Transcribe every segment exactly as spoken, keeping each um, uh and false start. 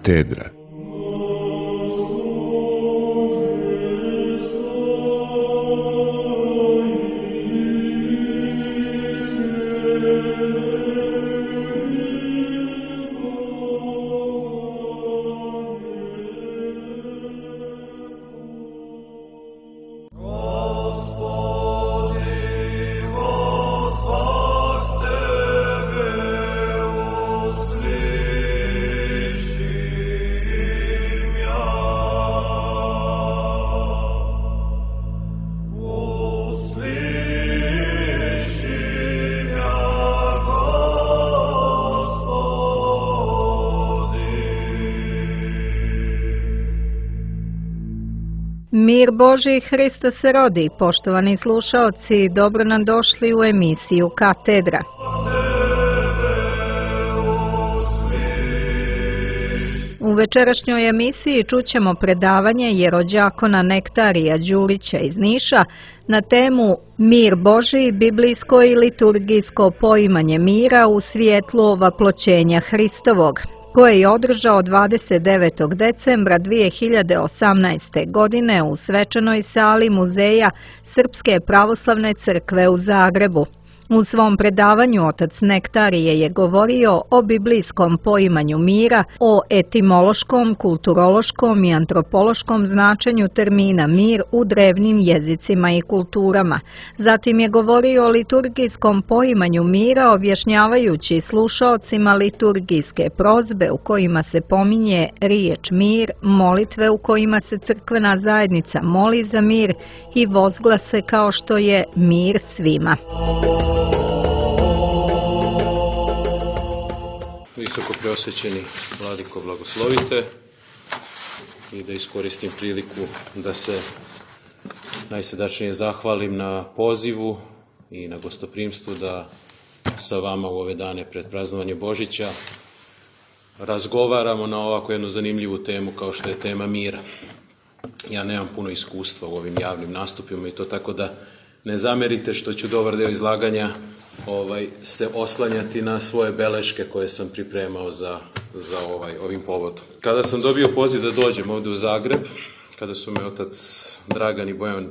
Katedra. Mir Božji, Hristos se rodi. Poštovani slušaoci, dobro nam došli u emisiju Katedra. U večerašnjoj emisiji čućemo predavanje jerođakona Nektarija Đurića iz Niša na temu Mir Božji, biblijsko i liturgijsko poimanje mira u svjetlu ovaploćenja Hristovog, koje je održao dvadeset devetog decembra dvije hiljade osamnaeste. godine u svečanoj sali Muzeja Srpske pravoslavne crkve u Zagrebu. U svom predavanju otac Nektarije je govorio o biblijskom poimanju mira, o etimološkom, kulturološkom i antropološkom značenju termina mir u drevnim jezicima i kulturama. Zatim je govorio o liturgijskom poimanju mira, objašnjavajući slušaocima liturgijske prozbe u kojima se pominje riječ mir, molitve u kojima se crkvena zajednica moli za mir i vozglase kao što je mir svima. Visoko preosvećeni vladiko, blagoslovite i da iskoristim priliku da se najsrdačnije zahvalim na pozivu i na gostoprimstvu da sa vama u ove dane pred praznovanje Božića razgovaramo na ovako jednu zanimljivu temu kao što je tema mira. Ja nemam puno iskustva u ovim javnim nastupima i to tako da ne zamerite što ću dobar deo izlaganja ovaj, se oslanjati na svoje beleške koje sam pripremao za, za ovaj, ovim povodom. Kada sam dobio poziv da dođem ovdje u Zagreb, kada su me otac Dragan i Bojan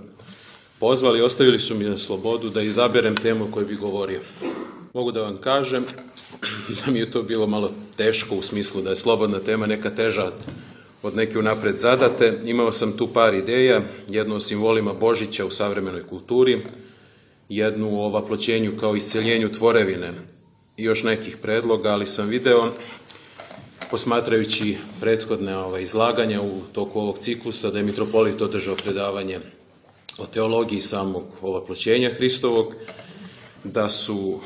pozvali, ostavili su mi na slobodu da izaberem temu o kojoj bi govorio. Mogu da vam kažem da mi je to bilo malo teško u smislu da je slobodna tema neka teža od neke unapred zadate. Imao sam tu par ideja, jednu o simbolima Božića u savremenoj kulturi, jednu o ovaploćenju kao isceljenju tvorevine i još nekih predloga, ali sam video, posmatrajući prethodne ovaj, izlaganja u toku ovog ciklusa, da je mitropolit održao predavanje o teologiji samog ovaploćenja Hristovog, da su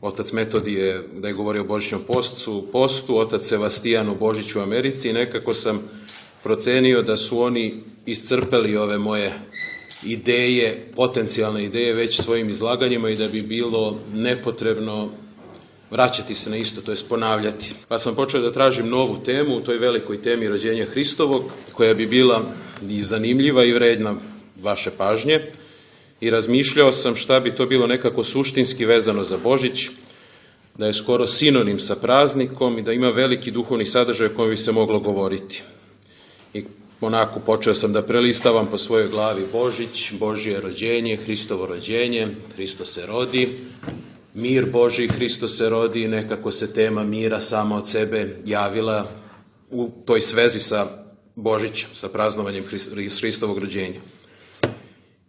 otac Metodije, da je govorio o Božićnom postu, postu, otac Sebastijan o Božiću u Americi, i nekako sam procenio da su oni iscrpeli ove moje ideje, potencijalne ideje već svojim izlaganjima i da bi bilo nepotrebno vraćati se na isto, to jest ponavljati. Pa sam počeo da tražim novu temu u toj velikoj temi rođenja Hristovog, koja bi bila i zanimljiva i vredna vaše pažnje, i razmišljao sam šta bi to bilo nekako suštinski vezano za Božić, da je skoro sinonim sa praznikom i da ima veliki duhovni sadržaj o kojem bi se moglo govoriti. I onako počeo sam da prelistavam po svojoj glavi Božić, Božje rođenje, Hristovo rođenje, Hristo se rodi, mir Božji, Hristo se rodi, i nekako se tema mira sama od sebe javila u toj svezi sa Božićem, sa praznovanjem Hristovog rođenja.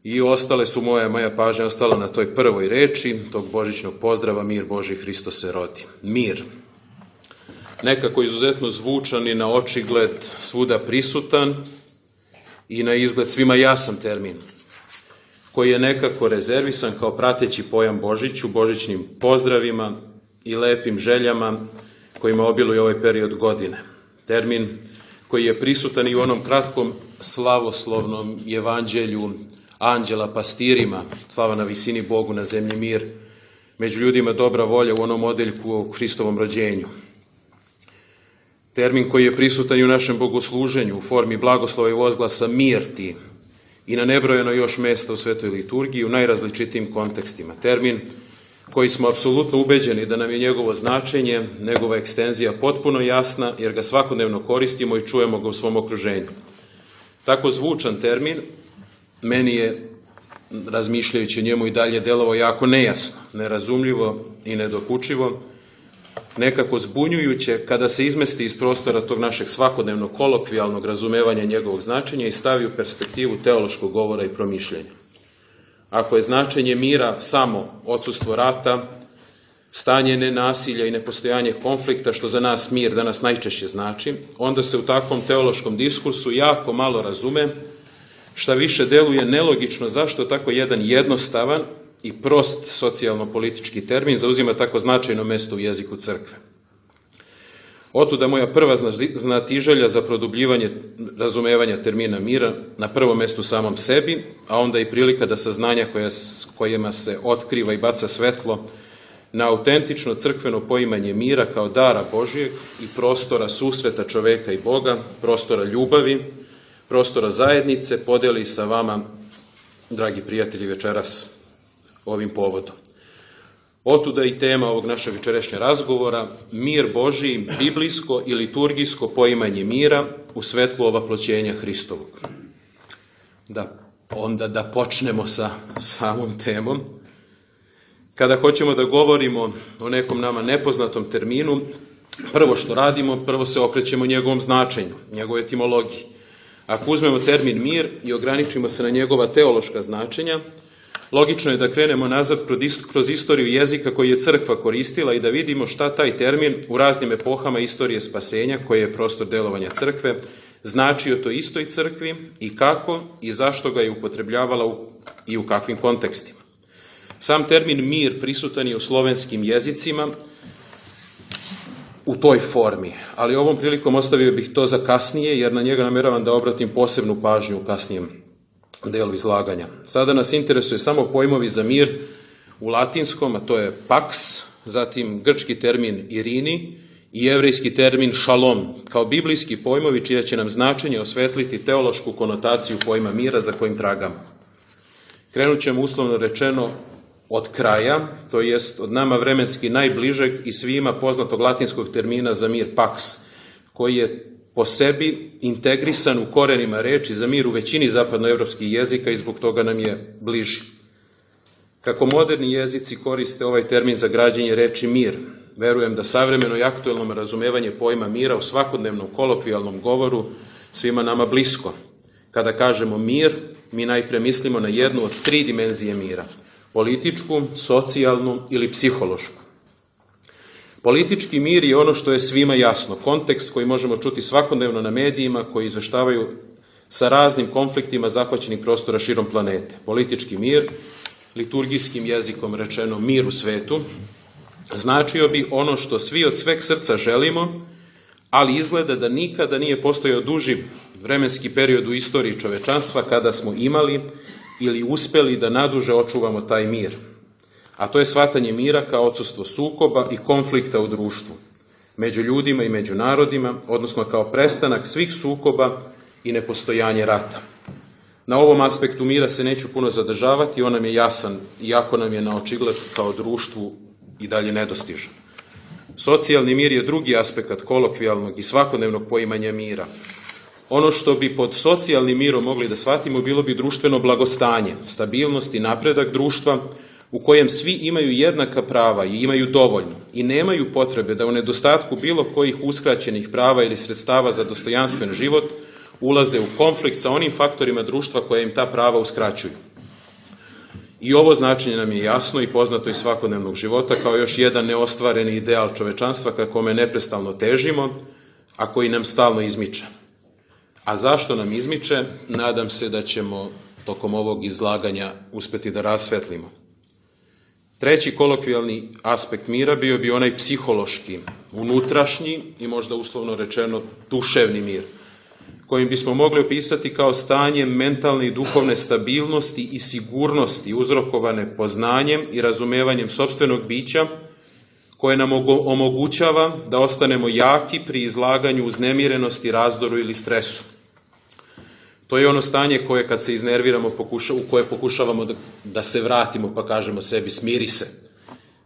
I ostale su moje, moja pažnja ostala na toj prvoj reči tog božićnog pozdrava, mir Božji, Hristo se rodi. Mir. Nekako izuzetno zvučan i na očigled svuda prisutan i na izgled svima jasan termin, koji je nekako rezervisan kao prateći pojam Božiću, božićnim pozdravima i lepim željama kojima obiluje ovaj period godine. Termin koji je prisutan i u onom kratkom slavoslovnom evanđelju anđela pastirima, slava na visini, Bogu na zemlji mir, među ljudima dobra volja, u onom odeljku o Hristovom rođenju. Termin koji je prisutan i u našem bogosluženju u formi blagoslova i vozglasa mir ti, i na nebrojeno još mjesta u svetoj liturgiji u najrazličitijim kontekstima. Termin koji smo apsolutno ubeđeni da nam je njegovo značenje, njegova ekstenzija potpuno jasna, jer ga svakodnevno koristimo i čujemo ga u svom okruženju. Tako zvučan termin meni je, razmišljajući o njemu, i dalje delovao jako nejasno, nerazumljivo i nedokučivo, nekako zbunjujuće kada se izmesti iz prostora tog našeg svakodnevnog kolokvijalnog razumevanja njegovog značenja i stavi u perspektivu teološkog govora i promišljenja. Ako je značenje mira samo odsustvo rata, stanje nenasilja i nepostojanje konflikta, što za nas mir danas najčešće znači, onda se u takvom teološkom diskursu jako malo razume, šta više deluje nelogično zašto tako jedan jednostavan i prost socijalno-politički termin zauzima tako značajno mesto u jeziku crkve. Otuda moja prva znatiželja za produbljivanje razumevanja termina mira, na prvom mestu samom sebi, a onda i prilika da saznanja koja, kojima se otkriva i baca svetlo na autentično crkveno poimanje mira kao dara Božijeg i prostora susreta čoveka i Boga, prostora ljubavi, prostora zajednice, podeli sa vama, dragi prijatelji, večeras ovim povodom. Otuda i tema ovog našeg večerašnjeg razgovora, mir Božiji, biblijsko i liturgijsko poimanje mira u svetlu ovaploćenja Hristovog. Da, onda da počnemo sa samom temom. Kada hoćemo da govorimo o nekom nama nepoznatom terminu, prvo što radimo, prvo se okrećemo njegovom značenju, njegove etimologiji. Ako uzmemo termin mir i ograničimo se na njegova teološka značenja, logično je da krenemo nazad kroz istoriju jezika koji je crkva koristila i da vidimo šta taj termin u raznim epohama istorije spasenja, koji je prostor delovanja crkve, značio to istoj crkvi i kako i zašto ga je upotrebljavala i u kakvim kontekstima. Sam termin mir prisutan je u slovenskim jezicima u toj formi, ali ovom prilikom ostavio bih to za kasnije, jer na njega nameravam da obratim posebnu pažnju u kasnijem delu izlaganja. Sada nas interesuje samo pojmovi za mir u latinskom, a to je pax, zatim grčki termin irini i jevrejski termin šalom, kao biblijski pojmovi čija će nam značenje osvetliti teološku konotaciju pojma mira za kojim tragamo. Krenut ćemo uslovno rečeno od kraja, to jest od nama vremenski najbližeg i svima poznatog latinskog termina za mir pax, koji je po sebi integrisan u korenima reči za mir u većini zapadnoevropskih jezika i zbog toga nam je bliži. Kako moderni jezici koriste ovaj termin za građenje reči mir, verujem da savremeno i aktuelno razumevanje pojma mira u svakodnevnom kolokvijalnom govoru svima nama blisko. Kada kažemo mir, mi najpre mislimo na jednu od tri dimenzije mira: političku, socijalnu ili psihološku. Politički mir je ono što je svima jasno, kontekst koji možemo čuti svakodnevno na medijima koji izveštavaju sa raznim konfliktima zahvaćenih prostora širom planete. Politički mir, liturgijskim jezikom rečeno mir u svetu, značio bi ono što svi od sveg srca želimo, ali izgleda da nikada nije postojao duži vremenski period u istoriji čovečanstva kada smo imali ili uspeli da naduže očuvamo taj mir. A to je shvatanje mira kao odsustvo sukoba i konflikta u društvu, među ljudima i među narodima, odnosno kao prestanak svih sukoba i nepostojanje rata. Na ovom aspektu mira se neću puno zadržavati, on nam je jasan, iako nam je na očigled kao društvu i dalje nedostižan. Socijalni mir je drugi aspekt kolokvijalnog i svakodnevnog poimanja mira. Ono što bi pod socijalnim mirom mogli da shvatimo bilo bi društveno blagostanje, stabilnost i napredak društva u kojem svi imaju jednaka prava i imaju dovoljno i nemaju potrebe da u nedostatku bilo kojih uskraćenih prava ili sredstava za dostojanstven život ulaze u konflikt sa onim faktorima društva koje im ta prava uskraćuju. I ovo značenje nam je jasno i poznato iz svakodnevnog života kao još jedan neostvareni ideal čovečanstva ka kome neprestalno težimo, a koji nam stalno izmiče. A zašto nam izmiče? Nadam se da ćemo tokom ovog izlaganja uspeti da rasvetlimo. Treći kolokvijalni aspekt mira bio bi onaj psihološki, unutrašnji i možda uslovno rečeno duševni mir, kojim bismo mogli opisati kao stanje mentalne i duhovne stabilnosti i sigurnosti uzrokovane poznanjem i razumevanjem sopstvenog bića, koje nam omogućava da ostanemo jaki pri izlaganju uznemirenosti, razdoru ili stresu. To je ono stanje koje kad se iznerviramo, pokuša, u koje pokušavamo da, da se vratimo pa kažemo sebi smiri se.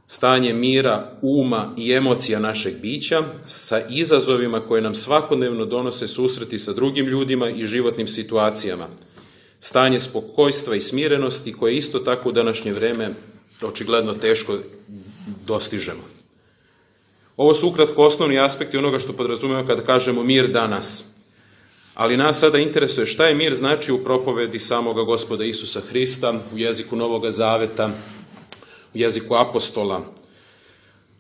stanje mira, uma i emocija našeg bića sa izazovima koje nam svakodnevno donose susreti sa drugim ljudima i životnim situacijama. Stanje spokojstva i smirenosti koje isto tako u današnje vreme očigledno teško dostižemo. Ovo su ukratko osnovni aspekti onoga što podrazumemo kada kažemo mir danas. Ali nas sada interesuje šta je mir znači u propovedi samoga Gospoda Isusa Hrista, u jeziku Novoga Zaveta, u jeziku apostola,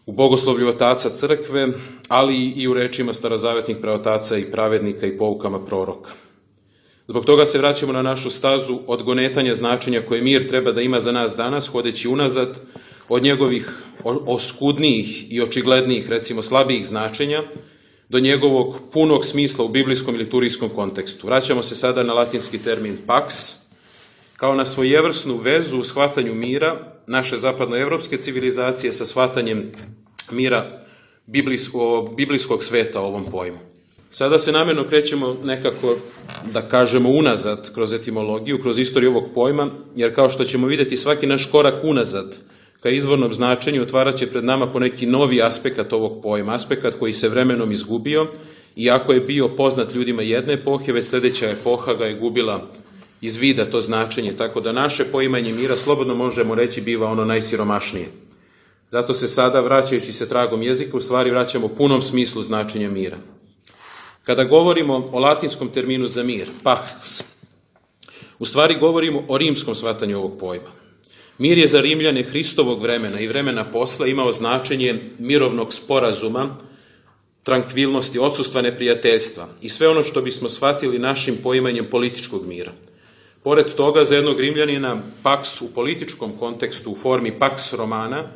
u bogoslovlju otaca crkve, ali i u rečima starozavetnih praotaca i pravednika i poukama proroka. Zbog toga se vraćamo na našu stazu odgonetanja značenja koje mir treba da ima za nas danas, hodeći unazad od njegovih oskudnijih i očiglednijih, recimo slabijih značenja, do njegovog punog smisla u biblijskom i liturgijskom kontekstu. Vraćamo se sada na latinski termin pax, kao na svojevrsnu vezu u shvatanju mira naše zapadnoevropske civilizacije sa shvatanjem mira biblijskog, biblijskog sveta o ovom pojmu. Sada se namjerno krećemo nekako, da kažemo, unazad kroz etimologiju, kroz istoriju ovog pojma, jer kao što ćemo vidjeti svaki naš korak unazad ka izvornom značenju otvarat će pred nama poneki novi aspekat ovog pojma, aspekat koji se vremenom izgubio, iako je bio poznat ljudima jedne epohe, već sljedeća epoha ga je gubila iz vida to značenje, tako da naše poimanje mira, slobodno možemo reći, biva ono najsiromašnije. Zato se sada, vraćajući se tragom jezika, u stvari vraćamo punom smislu značenja mira. Kada govorimo o latinskom terminu za mir, pax, u stvari govorimo o rimskom shvatanju ovog pojma. Mir je za Rimljane Hristovog vremena i vremena posle imao značenje mirovnog sporazuma, trankvilnosti, odsustva neprijateljstva i sve ono što bismo shvatili našim poimanjem političkog mira. Pored toga, za jednog Rimljanina, pax u političkom kontekstu u formi pax romana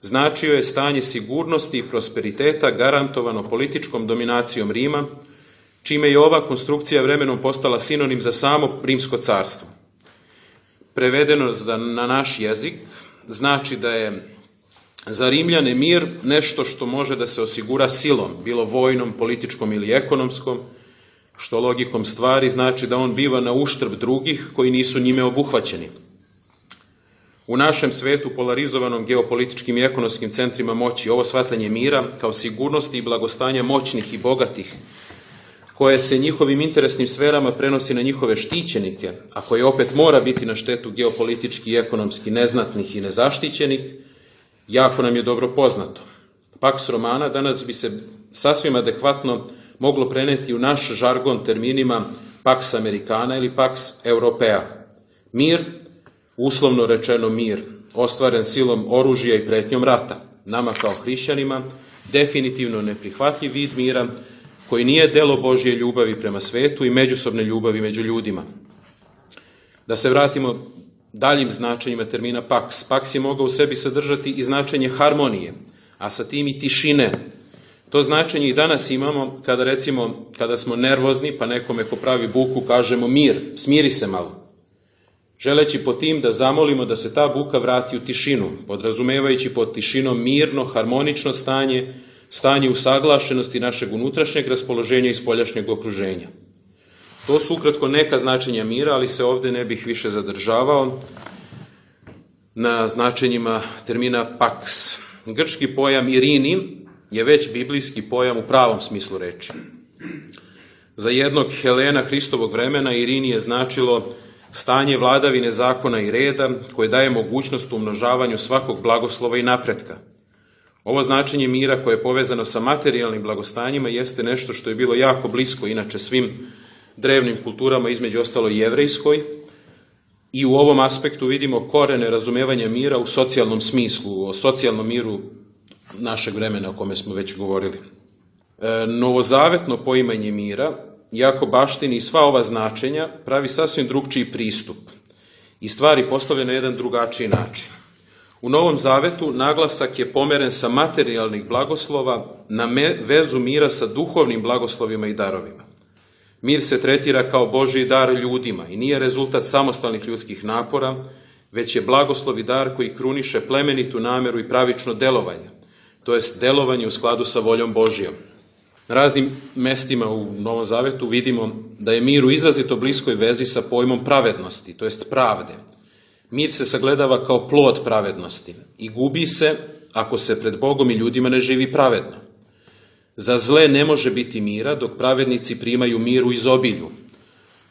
značio je stanje sigurnosti i prosperiteta garantovano političkom dominacijom Rima, čime je ova konstrukcija vremenom postala sinonim za samo rimsko carstvo. Prevedeno na naš jezik, znači da je za Rimljane mir nešto što može da se osigura silom, bilo vojnom, političkom ili ekonomskom, što logikom stvari znači da on biva na uštrb drugih koji nisu njime obuhvaćeni. U našem svetu, polarizovanom geopolitičkim i ekonomskim centrima moći, ovo shvatanje mira kao sigurnosti i blagostanja moćnih i bogatih, koje se njihovim interesnim sferama prenosi na njihove štićenike, a koje opet mora biti na štetu geopolitički i ekonomski neznatnih i nezaštićenih, jako nam je dobro poznato. Pax Romana danas bi se sasvim adekvatno moglo preneti u naš žargon terminima Pax Americana ili Pax Europea. Mir, uslovno rečeno mir, ostvaren silom oružja i pretnjom rata, nama kao hrišćanima definitivno neprihvatljiv vid mira koji nije delo Božje ljubavi prema svetu i međusobne ljubavi među ljudima. Da se vratimo daljim značenjima termina pax. Pax je mogao u sebi sadržati i značenje harmonije, a sa tim i tišine. To značenje i danas imamo kada, recimo, kada smo nervozni pa nekome ko pravi buku kažemo mir, smiri se malo. Želeći po tim da zamolimo da se ta buka vrati u tišinu, podrazumevajući pod tišinom mirno, harmonično stanje, stanje usaglašenosti našeg unutrašnjeg raspoloženja i spoljašnjeg okruženja. To su ukratko neka značenja mira, ali se ovdje ne bih više zadržavao na značenjima termina pax. Grčki pojam irini je već biblijski pojam u pravom smislu reči. Za jednog Helena Hristovog vremena irini je značilo stanje vladavine zakona i reda koje daje mogućnost umnožavanju svakog blagoslova i napretka. Ovo značenje mira koje je povezano sa materijalnim blagostanjima jeste nešto što je bilo jako blisko inače svim drevnim kulturama, između ostalo i jevrejskoj, i u ovom aspektu vidimo korene razumevanja mira u socijalnom smislu, o socijalnom miru našeg vremena o kome smo već govorili. E, novozavetno poimanje mira, iako baštini sva ova značenja, pravi sasvim drugčiji pristup i stvari postavlja na jedan drugačiji način. U Novom Zavetu naglasak je pomeren sa materijalnih blagoslova na me, vezu mira sa duhovnim blagoslovima i darovima. Mir se tretira kao Božji dar ljudima i nije rezultat samostalnih ljudskih napora, već je blagoslov i dar koji kruniše plemenitu nameru i pravično delovanje, to jest delovanje u skladu sa voljom Božjom. Na raznim mestima u Novom Zavetu vidimo da je mir u izrazito bliskoj vezi sa pojmom pravednosti, to jest pravde. Mir se sagledava kao plod pravednosti i gubi se ako se pred Bogom i ljudima ne živi pravedno. Za zle ne može biti mira, dok pravednici primaju mir u izobilju.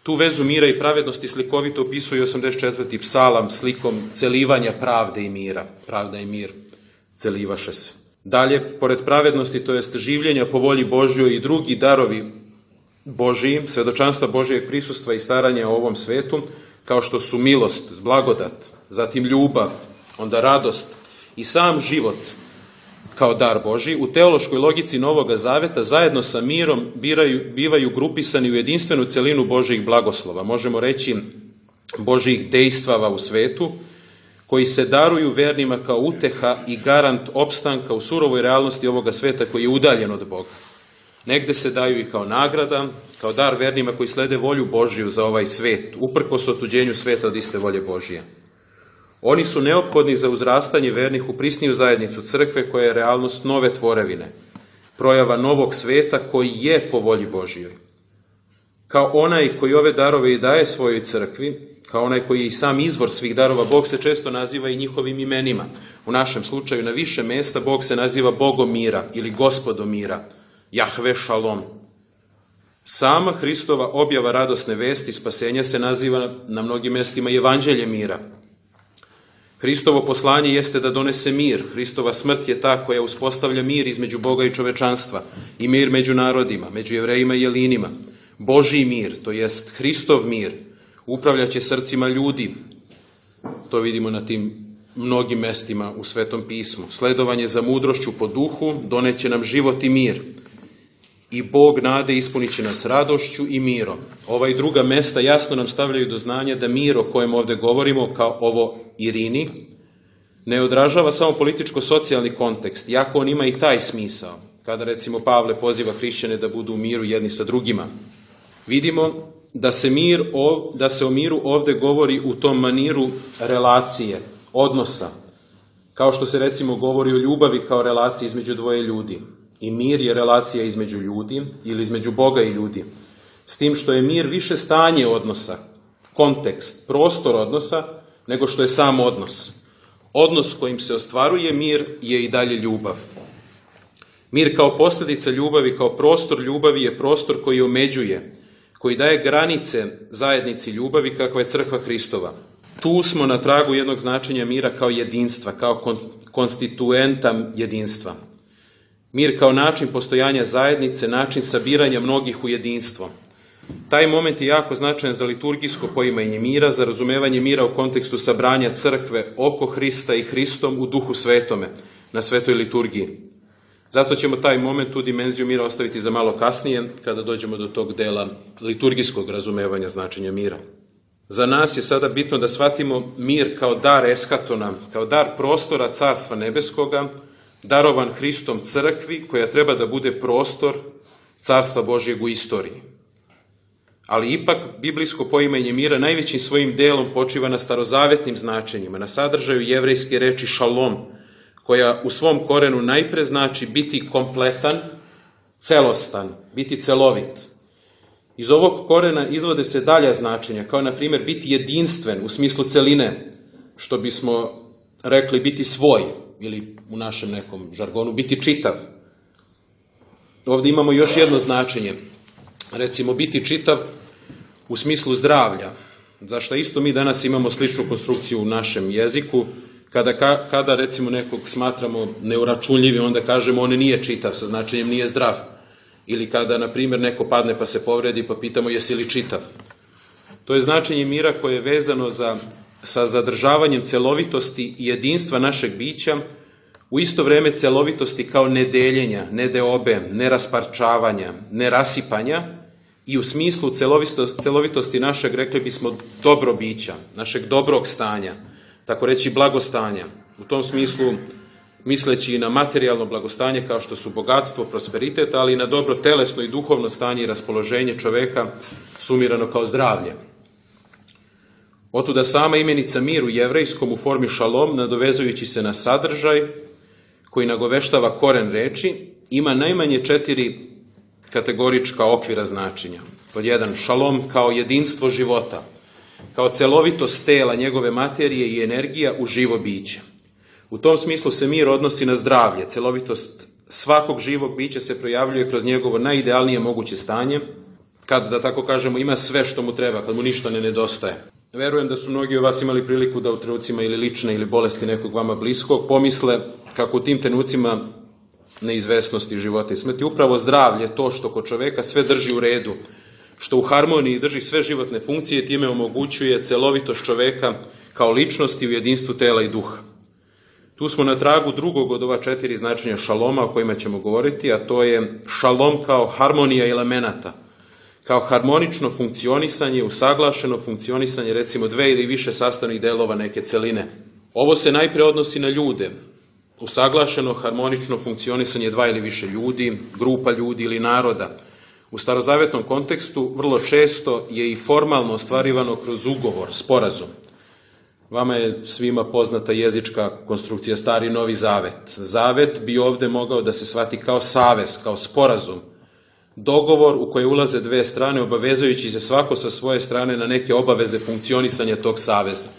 Tu vezu mira i pravednosti slikovito opisuje osamdeset četvrti psalam slikom celivanja pravde i mira. Pravda i mir celivaše se. Dalje, pored pravednosti, to jest življenja po volji Božjoj i drugi darovi Božiji, svedočanstva Božijeg prisustva i staranja o ovom svetu, kao što su milost, blagodat, zatim ljubav, onda radost i sam život kao dar Božji, u teološkoj logici Novoga Zaveta zajedno sa mirom biraju, bivaju grupisani u jedinstvenu celinu Božjih blagoslova, možemo reći Božjih dejstvava u svetu, koji se daruju vernima kao uteha i garant opstanka u surovoj realnosti ovoga sveta koji je udaljen od Boga. Negde se daju i kao nagrada, kao dar vernima koji slede volju Božju za ovaj svet, uprkos otuđenju sveta od iste volje Božije. Oni su neophodni za uzrastanje vernih u prisniju zajednicu crkve koja je realnost nove tvorevine, projava novog sveta koji je po volji Božjoj. Kao onaj koji ove darove i daje svojoj crkvi, kao onaj koji je i sam izvor svih darova, Bog se često naziva i njihovim imenima. U našem slučaju na više mesta Bog se naziva Bogom mira ili Gospodom mira, Jahve Šalom. Sama Hristova objava radosne vesti spasenja se naziva na mnogim mestima i evanđelje mira. Hristovo poslanje jeste da donese mir. Hristova smrt je ta koja uspostavlja mir između Boga i čovečanstva i mir među narodima, među Jevrejima i Jelinima. Božji mir, to jest Hristov mir, upravljaće srcima ljudi. To vidimo na tim mnogim mestima u Svetom pismu. Sledovanje za mudrošću po duhu doneće nam život i mir. I Bog nade ispunit će nas radošću i mirom. Ova i druga mesta jasno nam stavljaju do znanja da mir o kojem ovde govorimo, kao ovo Irini, ne odražava samo političko-socijalni kontekst, iako on ima i taj smisao, kada recimo Pavle poziva hrišćane da budu u miru jedni sa drugima. Vidimo da se, mir, da se o miru ovde govori u tom maniru relacije, odnosa, kao što se recimo govori o ljubavi kao relaciji između dvoje ljudi. I mir je relacija između ljudi ili između Boga i ljudi. S tim što je mir više stanje odnosa, kontekst, prostor odnosa, nego što je sam odnos. Odnos kojim se ostvaruje mir je i dalje ljubav. Mir kao posljedica ljubavi, kao prostor ljubavi je prostor koji omeđuje, koji daje granice zajednici ljubavi kakva je crkva Hristova. Tu smo na tragu jednog značenja mira kao jedinstva, kao konstituenta jedinstva. Mir kao način postojanja zajednice, način sabiranja mnogih u jedinstvo. Taj moment je jako značajan za liturgijsko poimanje mira, za razumevanje mira u kontekstu sabranja crkve oko Hrista i Hristom u duhu svetome, na svetoj liturgiji. Zato ćemo taj moment, tu dimenziju mira ostaviti za malo kasnije, kada dođemo do tog dela liturgijskog razumevanja značenja mira. Za nas je sada bitno da shvatimo mir kao dar eskatona, kao dar prostora Carstva nebeskoga, darovan Hristom crkvi, koja treba da bude prostor Carstva Božjeg u istoriji. Ali ipak, biblijsko poimanje mira najvećim svojim delom počiva na starozavetnim značenjima, na sadržaju jevrejske reči šalom, koja u svom korenu najpre znači biti kompletan, celostan, biti celovit. Iz ovog korena izvode se dalja značenja, kao na primjer biti jedinstven u smislu celine, što bismo rekli biti svoj, ili u našem nekom žargonu biti čitav. Ovdje imamo još jedno značenje, recimo biti čitav u smislu zdravlja, zašto isto mi danas imamo sličnu konstrukciju u našem jeziku, kada, kada recimo nekog smatramo neuračunljivim, onda kažemo on nije čitav, sa značenjem nije zdrav. Ili kada, na primjer, neko padne pa se povredi pa pitamo jesi li čitav. To je značenje mira koje je vezano za, sa zadržavanjem celovitosti i jedinstva našeg bića, u isto vreme celovitosti kao nedeljenja, nedeobe, nerasparčavanja, nerasipanja i u smislu celovitosti, celovitosti našeg, rekli bismo, dobrobića, našeg dobrog stanja, tako reći blagostanja. U tom smislu misleći i na materijalno blagostanje kao što su bogatstvo, prosperitet, ali i na dobro telesno i duhovno stanje i raspoloženje čoveka sumirano kao zdravlje. Otuda sama imenica mir u jevrejskom u formi šalom, nadovezujući se na sadržaj koji nagoveštava koren reči, ima najmanje četiri kategorička okvira značenja. Pod jedan, šalom kao jedinstvo života, kao celovitost tela, njegove materije i energija u živo biće. U tom smislu se mir odnosi na zdravlje, celovitost svakog živog bića se projavljuje kroz njegovo najidealnije moguće stanje, kad, da tako kažemo, ima sve što mu treba, kad mu ništa ne nedostaje. Verujem da su mnogi od vas imali priliku da u trenucima ili lične ili bolesti nekog vama bliskog pomisle kako u tim trenucima neizvesnosti života i smrti upravo zdravlje, to što kod čoveka sve drži u redu, što u harmoniji drži sve životne funkcije, time omogućuje celovitost čoveka kao ličnosti u jedinstvu tela i duha. Tu smo na tragu drugog od ova četiri značenja šaloma o kojima ćemo govoriti, a to je šalom kao harmonija elemenata, kao harmonično funkcionisanje, usaglašeno funkcionisanje recimo dve ili više sastavnih delova neke celine. Ovo se najpre odnosi na ljude, usaglašeno harmonično funkcionisanje dva ili više ljudi, grupa ljudi ili naroda. U starozavetnom kontekstu vrlo često je i formalno ostvarivano kroz ugovor, sporazum. Vama je svima poznata jezička konstrukcija Stari i Novi Zavet. Zavet bi ovde mogao da se shvati kao savez, kao sporazum, dogovor u koji ulaze dve strane, obavezujući se svako sa svoje strane na neke obaveze funkcionisanja tog saveza.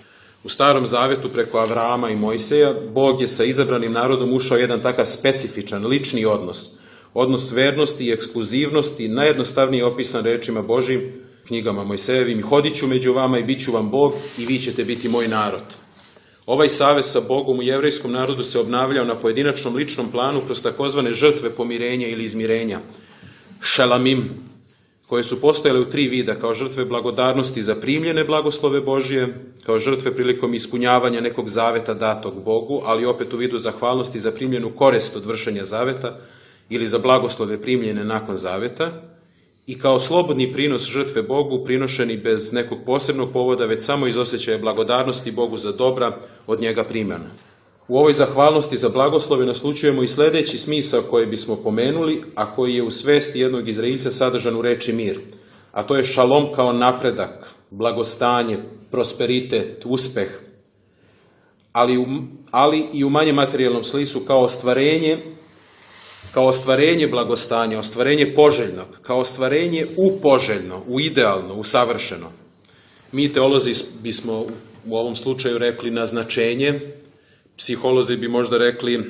U Starom Zavetu preko Avrama i Mojseja, Bog je sa izabranim narodom ušao jedan takav specifičan, lični odnos, odnos vernosti i ekskluzivnosti, najjednostavnije opisan rečima Božjim, knjigama Mojsejevim: hodit ću među vama i bit ću vam Bog i vi ćete biti moj narod. Ovaj savez sa Bogom u jevrejskom narodu se obnavljao na pojedinačnom ličnom planu kroz takozvane žrtve pomirenja ili izmirenja, šelamim, koje su postojale u tri vida, kao žrtve blagodarnosti za primljene blagoslove Božije, kao žrtve prilikom ispunjavanja nekog zaveta datog Bogu, ali opet u vidu zahvalnosti za primljenu korist od vršenja zaveta ili za blagoslove primljene nakon zaveta, i kao slobodni prinos žrtve Bogu, prinošeni bez nekog posebnog povoda, već samo iz osjećaja blagodarnosti Bogu za dobra od njega primljena. U ovoj zahvalnosti za blagoslove naslućujemo i sledeći smisao koji bismo pomenuli, a koji je u svesti jednog Izraelca sadržan u reči mir, a to je šalom kao napredak, blagostanje, prosperitet, uspeh, ali, u, ali i u manje materijalnom smislu kao ostvarenje, kao ostvarenje blagostanja, ostvarenje poželjnog, kao ostvarenje u poželjno, u idealno, u savršeno. Mi teolozi bismo u ovom slučaju rekli naznačenje, psiholozi bi možda rekli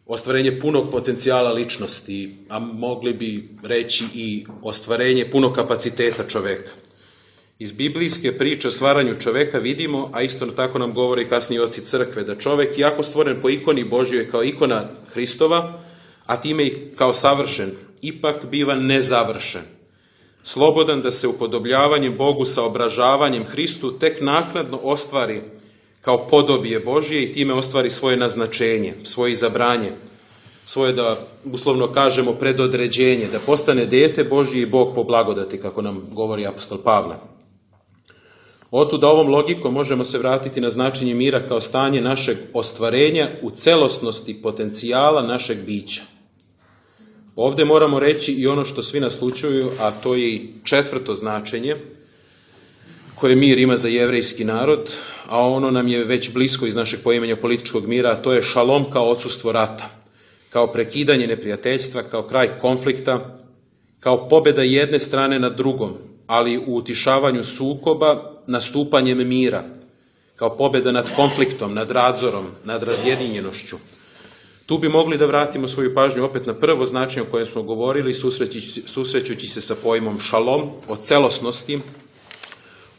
ostvarenje punog potencijala ličnosti, a mogli bi reći i ostvarenje punog kapaciteta čoveka. Iz biblijske priče o stvaranju čoveka vidimo, a isto tako nam govore i kasnije oci crkve, da čovek, iako stvoren po ikoni Božjoj kao ikona Hristova, a time i kao savršen, ipak biva nezavršen. Slobodan da se upodobljavanjem Bogu sa obražavanjem Hristu tek naknadno ostvari kao podobije Božje i time ostvari svoje naznačenje, svoje izabranje, svoje, da uslovno kažemo, predodređenje, da postane dete Božje i Bog po blagodati, kako nam govori apostol Pavle. Otuda ovom logikom možemo se vratiti na značenje mira kao stanje našeg ostvarenja u celosnosti potencijala našeg bića. Ovde moramo reći i ono što svi naslućuju, a to je i četvrto značenje koje mir ima za jevrejski narod, a ono nam je već blisko iz našeg poimanja političkog mira, a to je šalom kao odsustvo rata, kao prekidanje neprijateljstva, kao kraj konflikta, kao pobjeda jedne strane nad drugom, ali u utišavanju sukoba nastupanjem mira, kao pobjeda nad konfliktom, nad radzorom, nad razjedinjenošću. Tu bi mogli da vratimo svoju pažnju opet na prvo značenje o kojem smo govorili, susrećući, susrećući se sa pojmom šalom, o celosnosti,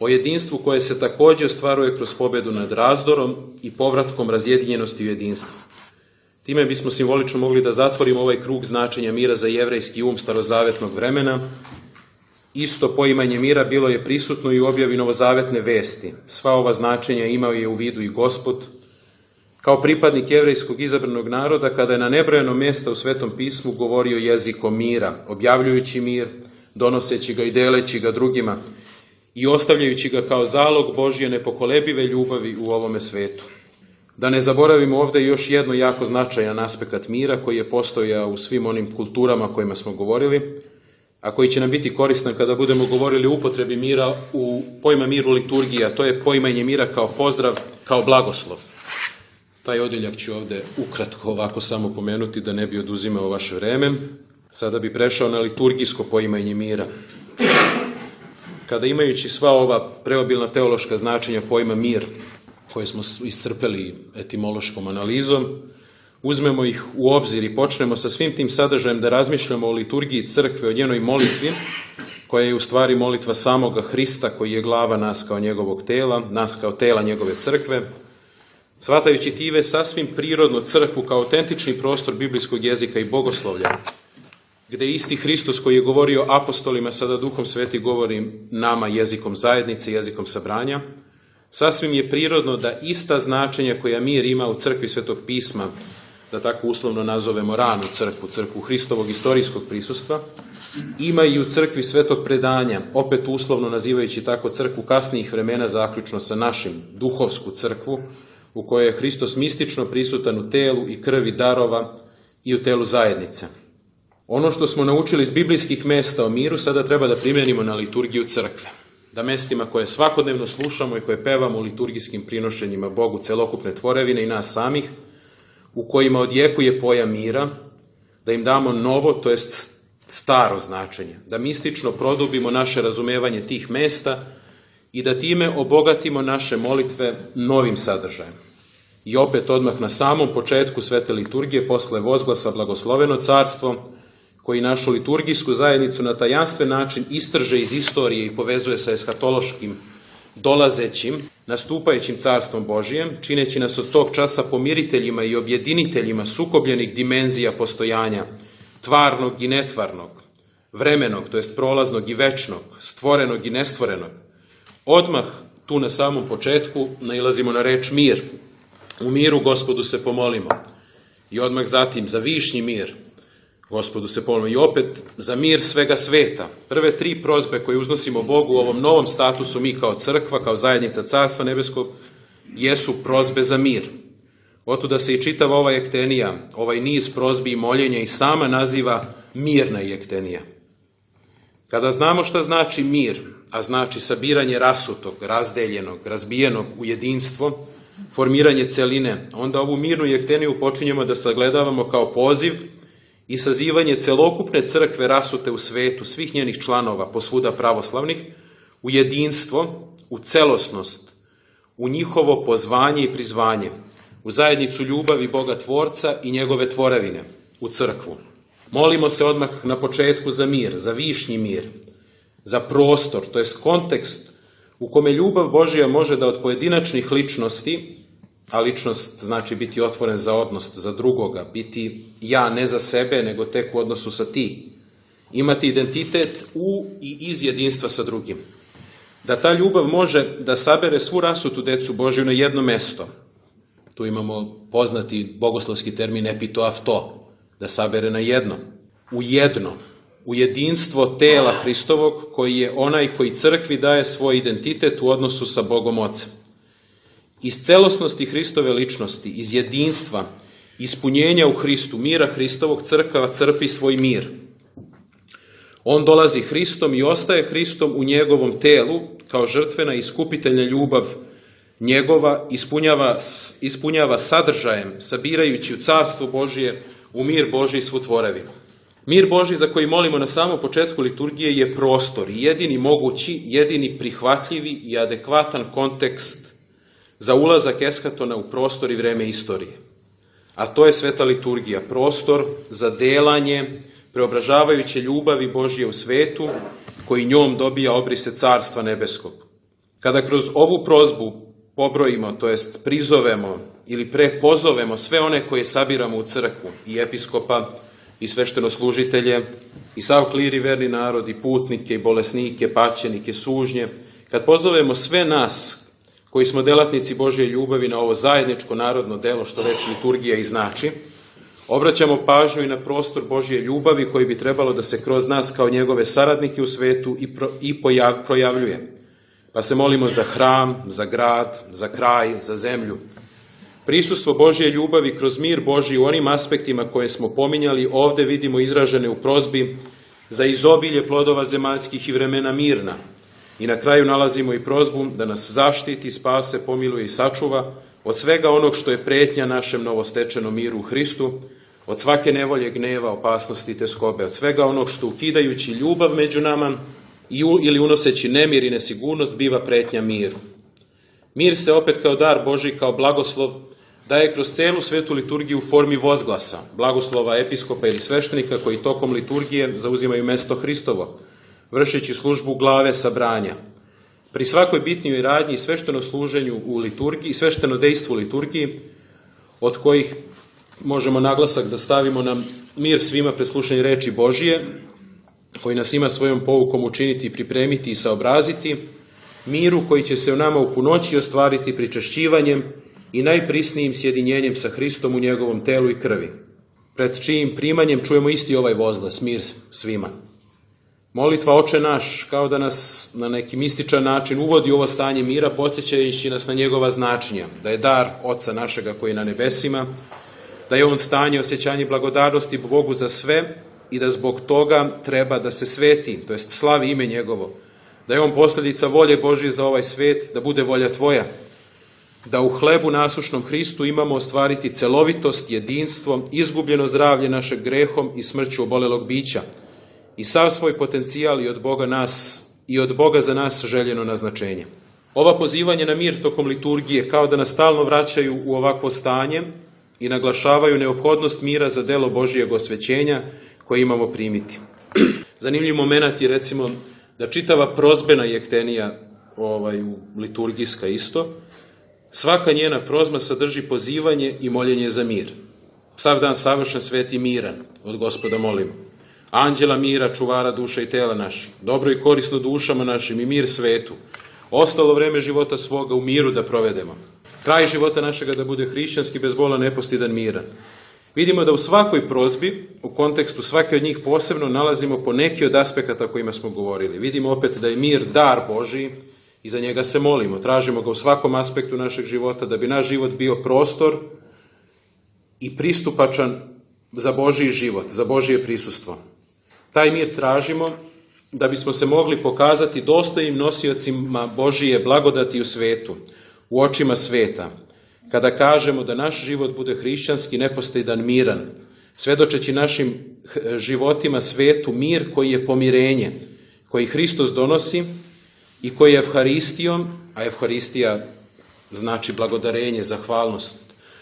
o jedinstvu koje se također ostvaruje kroz pobjedu nad razdorom i povratkom razjedinjenosti u jedinstvu. Time bismo simbolično mogli da zatvorimo ovaj krug značenja mira za jevrejski um starozavetnog vremena. Isto poimanje mira bilo je prisutno i u objavi novozavetne vesti. Sva ova značenja imao je u vidu i Gospod, kao pripadnik jevrejskog izabranog naroda, kada je na nebrojeno mjesta u Svetom pismu govorio jezikom mira, objavljujući mir, donoseći ga i deleći ga drugima i ostavljajući ga kao zalog Božje nepokolebive ljubavi u ovome svetu. Da ne zaboravimo ovdje još jedno jako značajan aspekt mira koji je postojao u svim onim kulturama o kojima smo govorili, a koji će nam biti koristan kada budemo govorili o upotrebi mira u pojma miru liturgija, to je poimanje mira kao pozdrav, kao blagoslov. Taj odjeljak ću ovdje ukratko ovako samo pomenuti da ne bi oduzimao vaše vreme. Sada bi prešao na liturgijsko poimanje mira. Kada imajući sva ova preobilna teološka značenja pojma mir, koje smo iscrpeli etimološkom analizom, uzmemo ih u obzir i počnemo sa svim tim sadržajem da razmišljamo o liturgiji crkve, o njenoj molitvi, koja je u stvari molitva samoga Hrista, koji je glava nas kao njegovog tela, nas kao tela njegove crkve, shvatajući time sasvim prirodno crkvu kao autentični prostor biblijskog jezika i bogoslovlja, gde isti Hristos koji je govorio apostolima, sada Duhom Sveti govori nama jezikom zajednice, jezikom sabranja, sasvim je prirodno da ista značenja koja mir ima u crkvi Svetog pisma, da tako uslovno nazovemo ranu crkvu, crkvu Hristovog istorijskog prisustva, ima i u crkvi Svetog predanja, opet uslovno nazivajući tako crkvu kasnijih vremena, zaključno sa našim, duhovsku crkvu, u kojoj je Hristos mistično prisutan u telu i krvi darova i u telu zajednice. Ono što smo naučili iz biblijskih mesta o miru sada treba da primenimo na liturgiju crkve. Da mestima koje svakodnevno slušamo i koje pevamo u liturgijskim prinošenjima Bogu celokupne tvorevine i nas samih, u kojima odjekuje pojam mira, da im damo novo, to jest staro značenje, da mistično produbimo naše razumevanje tih mesta i da time obogatimo naše molitve novim sadržajem. I opet odmah na samom početku svete liturgije, posle vozglasa Blagosloveno carstvo, koji našu liturgijsku zajednicu na tajanstven način istrže iz istorije i povezuje sa eskatološkim, dolazećim, nastupajućim carstvom Božijem, čineći nas od tog časa pomiriteljima i objediniteljima sukobljenih dimenzija postojanja, tvarnog i netvarnog, vremenog, to jest prolaznog i večnog, stvorenog i nestvorenog. Odmah tu na samom početku nailazimo na reč mir. U miru Gospodu se pomolimo. I odmah zatim za višnji mir Gospodu se pomolimo. I opet za mir svega sveta. Prve tri prozbe koje uznosimo Bogu u ovom novom statusu mi kao crkva, kao zajednica Carstva Nebeskog, jesu prozbe za mir. Otuda se i čitava ova jektenija, ovaj niz prozbi i moljenja i sama naziva mirna jektenija. Kada znamo šta znači mir, a znači sabiranje rasutog, razdeljenog, razbijenog u jedinstvo, formiranje celine, onda ovu mirnu jekteniju počinjemo da sagledavamo kao poziv i sazivanje celokupne crkve rasute u svetu, svih njenih članova, posvuda pravoslavnih, u jedinstvo, u celosnost, u njihovo pozvanje i prizvanje, u zajednicu ljubavi Boga Tvorca i njegove tvorevine, u crkvu. Molimo se odmah na početku za mir, za višnji mir, za prostor, to jest kontekst u kome ljubav Božija može da od pojedinačnih ličnosti, a ličnost znači biti otvoren za odnos za drugoga, biti ja ne za sebe, nego tek u odnosu sa ti, imati identitet u i iz jedinstva sa drugim. Da ta ljubav može da sabere svu rasutu decu Božju na jedno mesto. Tu imamo poznati bogoslovski termin epitoafto, da sabere na jedno, u jedno, u jedinstvo tela Hristovog, koji je onaj koji crkvi daje svoj identitet u odnosu sa Bogom Ocem. Iz celosnosti Hristove ličnosti, iz jedinstva, ispunjenja u Hristu, mira Hristovog, crkva crpi svoj mir. On dolazi Hristom i ostaje Hristom u njegovom telu, kao žrtvena i iskupiteljna ljubav njegova, ispunjava, ispunjava sadržajem, sabirajući u carstvo Božije, u mir Božji svu tvorevinu. Mir Božji za koji molimo na samom početku liturgije je prostor i jedini mogući, jedini prihvatljivi i adekvatan kontekst za ulazak eskatona u prostor i vreme istorije. A to je sveta liturgija, prostor za delanje preobražavajuće ljubavi Božje u svetu, koji njom dobija obrise Carstva Nebeskog. Kada kroz ovu prozbu pobrojimo, to jest prizovemo ili prepozovemo sve one koje sabiramo u crkvu, i episkopa, i sveštenoslужitelje, i sav klir i verni narod, i putnike, i bolesnike, paćenike, sužnje, kad pozovemo sve nas koji smo delatnici Božje ljubavi na ovo zajedničko narodno delo, što već liturgija i znači, obraćamo pažnju i na prostor Božje ljubavi koji bi trebalo da se kroz nas kao njegove saradnike u svetu i, pro, i pojav, projavljuje. Pa se molimo za hram, za grad, za kraj, za zemlju. Prisustvo Božje ljubavi kroz mir Božji u onim aspektima koje smo pominjali ovde vidimo izražene u prozbi za izobilje plodova zemaljskih i vremena mirna. I na kraju nalazimo i prozbu da nas zaštiti, spase, pomiluje i sačuva od svega onog što je pretnja našem novostečenom miru u Hristu, od svake nevolje, gneva, opasnosti i teskobe, od svega onog što ukidajući ljubav među nama ili unoseći nemir i nesigurnost biva pretnja miru. Mir se opet kao dar Božji, kao blagoslov, daje kroz celu svetu liturgiju u formi vozglasa, blagoslova episkopa ili sveštenika koji tokom liturgije zauzimaju mesto Hristovo, vršeći službu glave sabranja. Pri svakoj bitnijoj radnji i svešteno služenju u liturgiji, svešteno dejstvo u liturgiji, od kojih možemo naglasak da stavimo na mir svima pred slušanje reči Božije, koji nas ima svojom poukom učiniti, i pripremiti i saobraziti, miru koji će se u nama u punoći ostvariti pričašćivanjem i najprisnijim sjedinjenjem sa Hristom u njegovom telu i krvi, pred čijim primanjem čujemo isti ovaj vozglas, mir svima. Molitva Oče naš, kao da nas na neki mističan način uvodi u ovo stanje mira, podsjećajući nas na njegova značenja, da je dar Oca našega koji je na nebesima, da je on stanje osjećanje blagodarnosti Bogu za sve i da zbog toga treba da se sveti, to jest slavi ime njegovo, da je on posljedica volje Božje za ovaj svet, da bude volja tvoja, da u hlebu nasušnom Hristu imamo ostvariti celovitost, jedinstvo, izgubljeno zdravlje našeg grehom i smrću obolelog bića i sav svoj potencijal i od Boga nas i od Boga za nas željeno naznačenje. Ova pozivanja na mir tokom liturgije kao da nas stalno vraćaju u ovakvo stanje i naglašavaju neophodnost mira za delo Božijeg osvećenja koje imamo primiti. Zanimljiv moment je recimo da čitava prozbena jektenija ovaj, liturgijska isto, svaka njena prozba sadrži pozivanje i moljenje za mir. Sav dan savršen, svet i miran, od Gospoda molimo. Anđela mira, čuvara duša i tela naših, dobro i korisno dušama našim i mir svetu. Ostalo vreme života svoga u miru da provedemo. Kraj života našega da bude hrišćanski, bez bola, nepostidan, miran. Vidimo da u svakoj prozbi, u kontekstu svake od njih posebno, nalazimo po neki od aspekata o kojima smo govorili. Vidimo opet da je mir dar Božiji i za njega se molimo. Tražimo ga u svakom aspektu našeg života da bi naš život bio prostor i pristupačan za Božiji život, za Božije prisustvo. Taj mir tražimo da bismo se mogli pokazati dostojnim nosiocima Božije blagodati u svetu, u očima sveta, kada kažemo da naš život bude hrišćanski, nepostidan, miran, svedočeći našim životima svetu mir koji je pomirenje, koji Hristos donosi i koji je Evharistijom, a Evharistija znači blagodarenje, zahvalnost,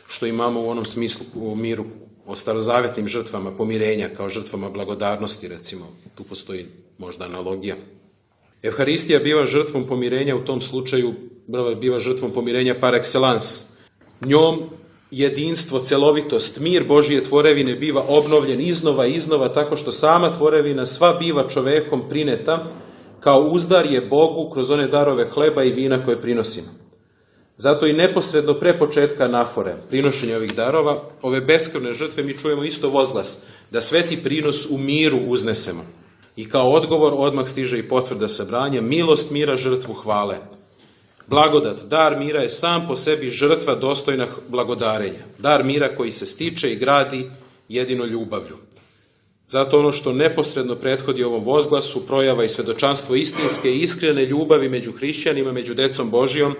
što imamo u onom smislu u miru o starozavetnim žrtvama pomirenja, kao žrtvama blagodarnosti, recimo, tu postoji možda analogija. Evharistija biva žrtvom pomirenja, u tom slučaju biva žrtvom pomirenja par excellence. Njom jedinstvo, celovitost, mir Božije tvorevine biva obnovljen iznova i iznova, tako što sama tvorevina sva biva čovekom prineta, kao uzdar je Bogu kroz one darove hleba i vina koje prinosimo. Zato i neposredno pre početka anafore, prinošenja ovih darova, ove beskrvne žrtve, mi čujemo isto vozglas, da sveti prinos u miru uznesemo. I kao odgovor odmah stiže i potvrda sabranja, milost mira, žrtvu hvale. Blagodat, dar mira je sam po sebi žrtva dostojna blagodarenja. Dar mira koji se stiče i gradi jedino ljubavlju. Zato ono što neposredno prethodi ovom vozglasu, projava i svedočanstvo istinske i iskrene ljubavi među hrišćanima, među decom Božijom,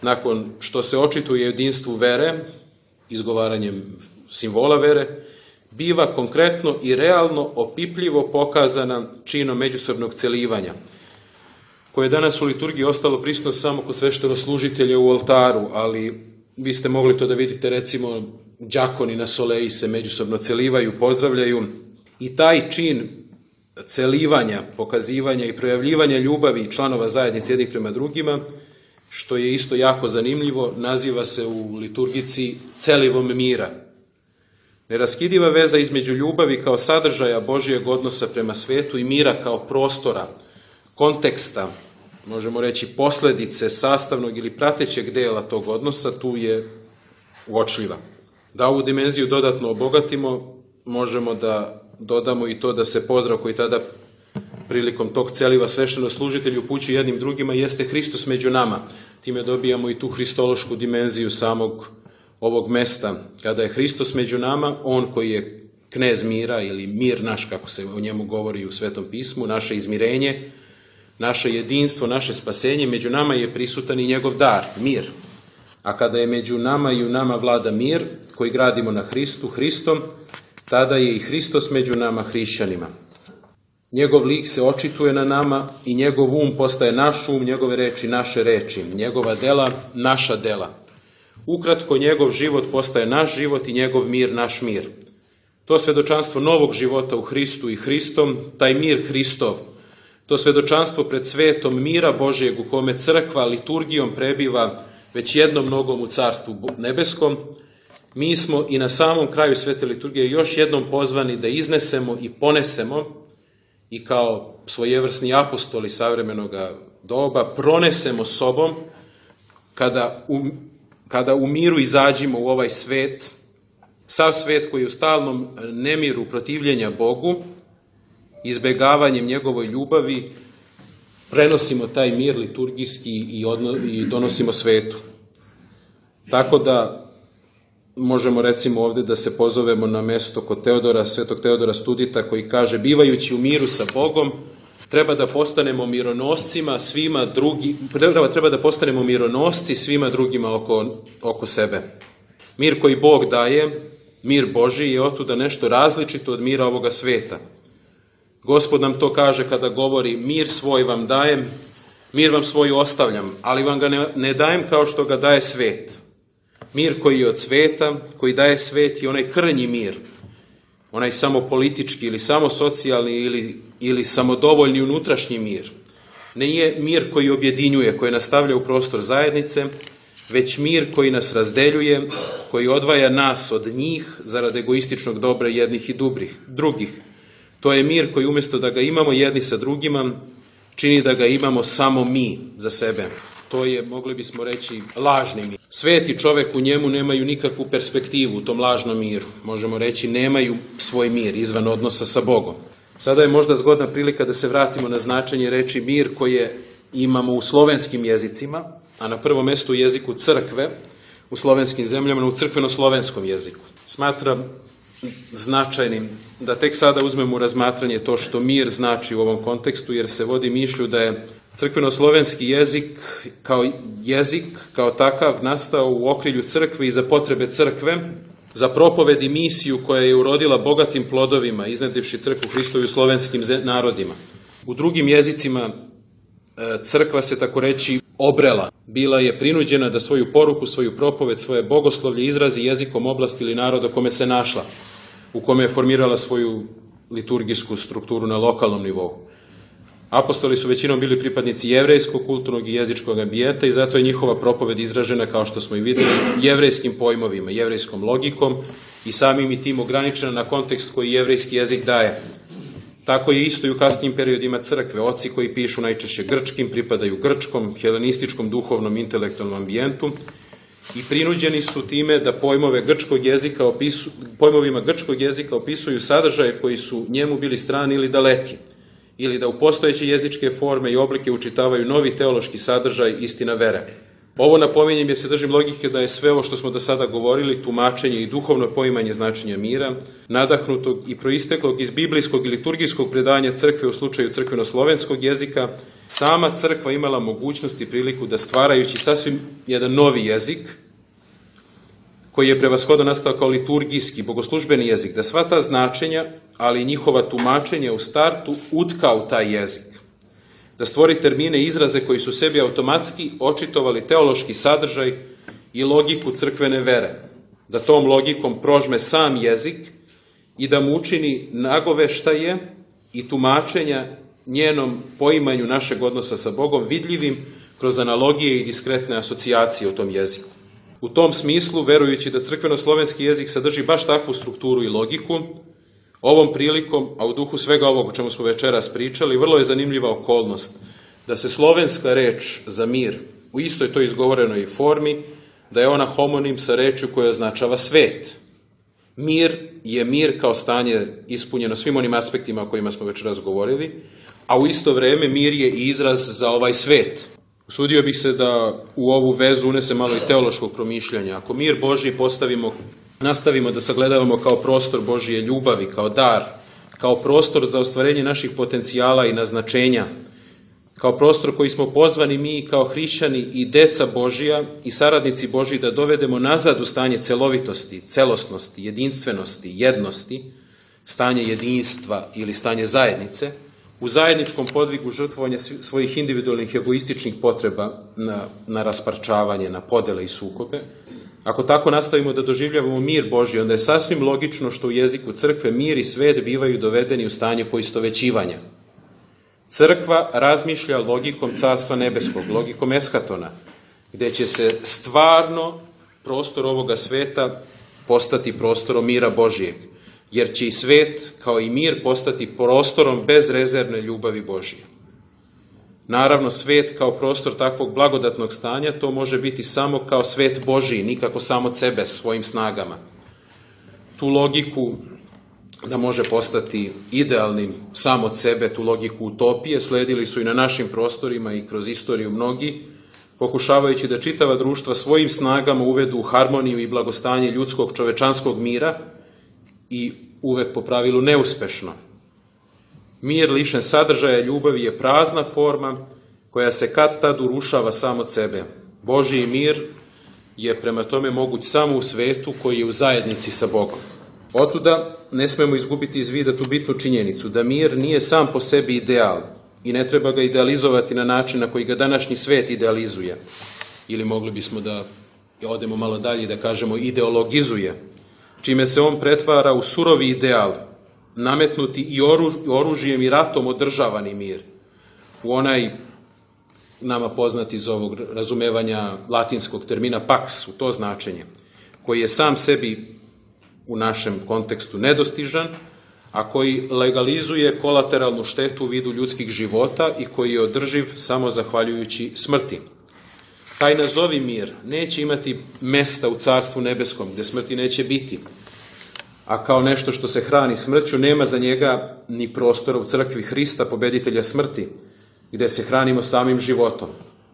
nakon što se očituje jedinstvu vere, izgovaranjem simbola vere, biva konkretno i realno opipljivo pokazana činom međusobnog celivanja, koje je danas u liturgiji ostalo prisutno samo kod sveštenoslužitelja u oltaru, ali vi ste mogli to da vidite, recimo, đakoni na soleji se međusobno celivaju, pozdravljaju, i taj čin celivanja, pokazivanja i projavljivanja ljubavi članova zajednice jednih prema drugima, što je isto jako zanimljivo, naziva se u liturgici celivom mira. Neraskidiva veza između ljubavi kao sadržaja Božijeg odnosa prema svetu i mira kao prostora, konteksta, možemo reći posledice sastavnog ili pratećeg dela tog odnosa, tu je uočljiva. Da ovu dimenziju dodatno obogatimo, možemo da dodamo i to da se pozdrav koji tada prilikom tog celiva svešteno-služitelji upućuju jednim drugima jeste Hristos među nama. Time dobijamo i tu hristološku dimenziju samog ovog mesta. Kada je Hristos među nama, on koji je knez mira ili mir naš, kako se o njemu govori u Svetom pismu, naše izmirenje, naše jedinstvo, naše spasenje, među nama je prisutan i njegov dar, mir. A kada je među nama i u nama vlada mir, koji gradimo na Hristu, Hristom, tada je i Hristos među nama hrišćanima. Njegov lik se očituje na nama i njegov um postaje naš um, njegove reči naše reči, njegova dela naša dela. Ukratko, njegov život postaje naš život i njegov mir naš mir. To svedočanstvo novog života u Hristu i Hristom, taj mir Hristov, to svedočanstvo pred svetom mira Božijeg u kome crkva liturgijom prebiva već jednom nogom u carstvu nebeskom, mi smo i na samom kraju svete liturgije još jednom pozvani da iznesemo i ponesemo i kao svojevrsni apostoli savremenog doba pronesemo sobom kada u, kada u miru izađimo u ovaj svet, sav svet koji je u stalnom nemiru protivljenja Bogu, izbegavanjem njegovoj ljubavi, prenosimo taj mir liturgijski i, odno, i donosimo svetu. Tako da možemo recimo ovdje da se pozovemo na mesto kod Teodora, svetog Teodora Studita, koji kaže: bivajući u miru sa Bogom, treba da postanemo mironoscima svima drugi, treba, treba da postanemo mironosci svima drugima oko, oko sebe. Mir koji Bog daje, mir Božji, je otuda nešto različito od mira ovoga sveta. Gospod nam to kaže kada govori: mir svoj vam dajem, mir vam svoj ostavljam, ali vam ga ne, ne dajem kao što ga daje svet. Mir koji je od sveta, koji daje svet, je onaj krnji mir, onaj samo politički ili samo socijalni ili, ili samodovoljni unutrašnji mir. Ne je mir koji objedinjuje, koji nastavlja u prostor zajednice, već mir koji nas razdeljuje, koji odvaja nas od njih zarad egoističnog dobra jednih i dubrih, drugih. To je mir koji umjesto da ga imamo jedni sa drugima, čini da ga imamo samo mi za sebe. To je, mogli bismo reći, lažni mir. Svet i čovek u njemu nemaju nikakvu perspektivu u tom lažnom miru. Možemo reći, nemaju svoj mir izvan odnosa sa Bogom. Sada je možda zgodna prilika da se vratimo na značenje reči mir koje imamo u slovenskim jezicima, a na prvom mjestu u jeziku crkve, u slovenskim zemljama, u crkveno-slovenskom jeziku. Smatram značajnim da tek sada uzmemo u razmatranje to što mir znači u ovom kontekstu, jer se vodi mišlju da je crkveno-slovenski jezik kao jezik, kao takav, nastao u okrilju crkve i za potrebe crkve, za propoved i misiju koja je urodila bogatim plodovima, iznedrivši crkvu Hristovu slovenskim narodima. U drugim jezicima crkva se, tako reći, obrela. Bila je prinuđena da svoju poruku, svoju propoved, svoje bogoslovlje izrazi jezikom oblasti ili naroda kome se našla, u kome je formirala svoju liturgijsku strukturu na lokalnom nivou. Apostoli su većinom bili pripadnici jevrejskog, kulturnog i jezičkog ambijenta i zato je njihova propoved izražena, kao što smo i vidjeli, jevrejskim pojmovima, jevrejskom logikom i samim i tim ograničena na kontekst koji jevrejski jezik daje. Tako je isto i u kasnijim periodima crkve. Oci koji pišu najčešće grčkim pripadaju grčkom, helenističkom, duhovnom, intelektualnom ambijentu i prinuđeni su time da pojmove grčkog jezika opisu, pojmovima grčkog jezika opisuju sadržaje koji su njemu bili strani ili daleki, ili da u postojeće jezičke forme i oblike učitavaju novi teološki sadržaj, istina vere. Ovo napominjem jer se držim logike da je sve ovo što smo do sada govorili, tumačenje i duhovno poimanje značenja mira, nadahnutog i proisteklog iz biblijskog i liturgijskog predanja crkve u slučaju crkveno-slovenskog jezika, sama crkva imala mogućnost i priliku da, stvarajući sasvim jedan novi jezik, koji je prevashodno nastao kao liturgijski, bogoslužbeni jezik, da sva ta značenja, ali i njihova tumačenja u startu utka u taj jezik. Da stvori termine i izraze koji su sebi automatski očitovali teološki sadržaj i logiku crkvene vere. Da tom logikom prožme sam jezik i da mu učini nagoveštaje i tumačenja njenom poimanju našeg odnosa sa Bogom vidljivim kroz analogije i diskretne asocijacije u tom jeziku. U tom smislu, verujući da crkveno-slovenski jezik sadrži baš takvu strukturu i logiku, ovom prilikom, a u duhu svega ovog o čemu smo večeras pričali, vrlo je zanimljiva okolnost da se slovenska reč za mir u istoj toj izgovorenoj formi, da je ona homonim sa rečju koja označava svet. Mir je mir kao stanje ispunjeno svim onim aspektima o kojima smo večeras govorili, a u isto vrijeme mir je i izraz za ovaj svet. Usudio bih se da u ovu vezu unese malo i teološkog promišljanja. Ako mir Božji postavimo, nastavimo da sagledavamo kao prostor Božje ljubavi, kao dar, kao prostor za ostvarenje naših potencijala i naznačenja, kao prostor koji smo pozvani mi kao hrišćani i deca Božija i saradnici Božji da dovedemo nazad u stanje celovitosti, celosnosti, jedinstvenosti, jednosti, stanje jedinstva ili stanje zajednice, u zajedničkom podvigu žrtvovanja svojih individualnih egoističnih potreba na, na rasparčavanje, na podele i sukobe. Ako tako nastavimo da doživljavamo mir Božji, onda je sasvim logično što u jeziku crkve mir i svet bivaju dovedeni u stanje poistovećivanja. Crkva razmišlja logikom Carstva nebeskog, logikom eskatona, gde će se stvarno prostor ovoga sveta postati prostorom mira Božijeg, jer će i svet, kao i mir, postati prostorom bezrezervne ljubavi Božije. Naravno, svet kao prostor takvog blagodatnog stanja, to može biti samo kao svet Božiji, nikako samo od sebe, svojim snagama. Tu logiku da može postati idealnim sam od sebe, tu logiku utopije, sledili su i na našim prostorima i kroz istoriju mnogi, pokušavajući da čitava društva svojim snagama uvedu u harmoniju i blagostanje ljudskog čovečanskog mira i uvek po pravilu neuspešno. Mir lišen sadržaja ljubavi je prazna forma koja se kad tad urušava sam od sebe. Božji mir je prema tome moguć samo u svetu koji je u zajednici sa Bogom. Otuda ne smemo izgubiti iz vida tu bitnu činjenicu da mir nije sam po sebi ideal i ne treba ga idealizovati na način na koji ga današnji svet idealizuje. Ili mogli bismo da odemo malo dalje i da kažemo ideologizuje, čime se on pretvara u surovi ideal, nametnuti i oružjem i ratom održavani mir, u onaj nama poznat iz ovog razumevanja latinskog termina pax, u to značenje, koji je sam sebi u našem kontekstu nedostižan, a koji legalizuje kolateralnu štetu u vidu ljudskih života i koji je održiv samo zahvaljujući smrti. Taj nazovi mir neće imati mesta u Carstvu nebeskom, gde smrti neće biti, a kao nešto što se hrani smrću nema za njega ni prostora u crkvi Hrista, pobeditelja smrti, gde se hranimo samim životom.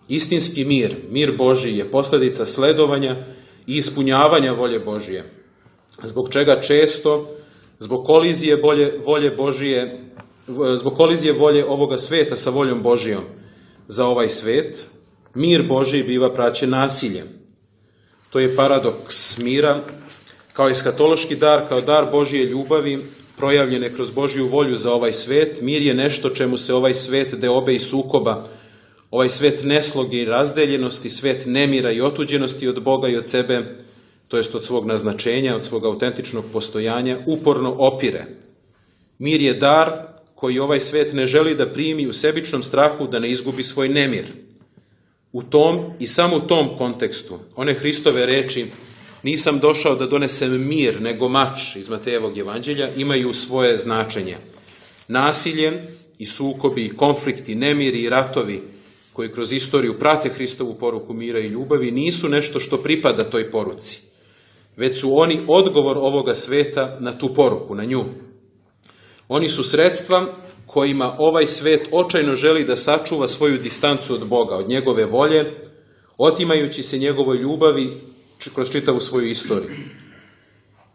Istinski mir, mir Božji, je posledica sledovanja i ispunjavanja volje Božije, zbog čega često, zbog kolizije volje, volje Božije, zbog kolizije volje ovoga sveta sa voljom Božijom za ovaj svet, mir Božji biva praćen nasiljem. To je paradoks mira, kao eskatološki dar, kao dar Božije ljubavi, projavljene kroz Božju volju za ovaj svet. Mir je nešto čemu se ovaj svet deobe i sukoba, ovaj svet nesloge i razdeljenosti, svet nemira i otuđenosti od Boga i od sebe, to jest od svog naznačenja, od svog autentičnog postojanja, uporno opire. Mir je dar koji ovaj svet ne želi da primi u sebičnom strahu da ne izgubi svoj nemir. U tom i samo u tom kontekstu, one Hristove reči, nisam došao da donesem mir, nego mač, iz Matejevog evanđelja, imaju svoje značenje. Nasilje i sukobi, i konflikti, nemiri i ratovi, koji kroz istoriju prate Hristovu poruku mira i ljubavi, nisu nešto što pripada toj poruci, već su oni odgovor ovoga sveta na tu poruku, na nju. Oni su sredstva kojima ovaj svet očajno želi da sačuva svoju distancu od Boga, od njegove volje, otimajući se njegovoj ljubavi kroz čitavu svoju istoriju.